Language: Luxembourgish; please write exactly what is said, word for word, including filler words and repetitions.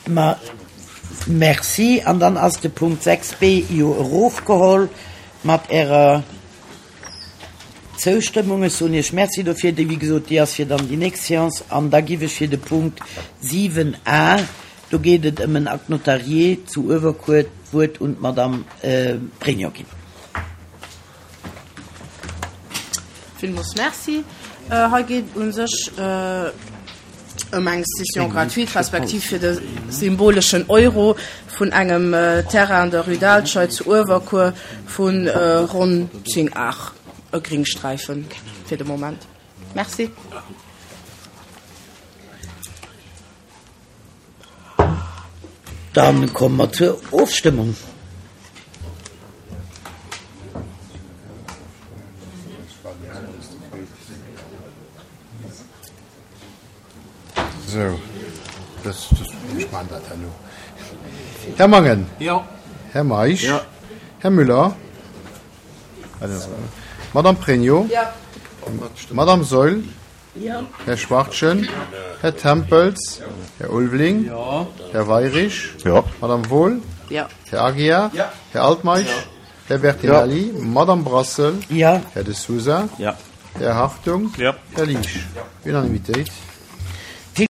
Ma merci. An dann ass de Punkt sechs b jo erofgeholl mat Ärer Zoustëmmung. Ech soen Iech Merci dofir. Déi, wéi gesot, déi ass fir dann déi nächst Séance. An da giff ech fir de Punkt siwen a, do geet et ëm en Acte notarié zu Uewerkuer, d'Wuert un d'Madame Pregno ginn. Villmools Merci. Hei geet et u sech ëm eng Cession gratuite, respektiv fir de symboleschen Euro vun engem Terrain an der Rue d'Alscheid zu Uewerkuer vu ronn zéng Ar, e Gringsträifen fir de Moment. Merci. Dann komme mer zur Ofstëmmung. Sou, das, das, ech maachen dat herno. Här Mangen. Jo. Här Meisch. Jo. Här Müller. Madame Pregno. Jo. Madame Saeul. Jo. Här Schwachtgen. Här Tempels. Här Ulveling. Jo. Här Weirich. Jo. Madame Wohl. Jo. Här Aguiar. Jo. Här Altmeisch. Jo. Här Bertinelli. Jo. Madame Brassel. Jo. Här De Sousa. Jo. Här Hartung. Jo. Här Liesch. Jo. Unanimitéit.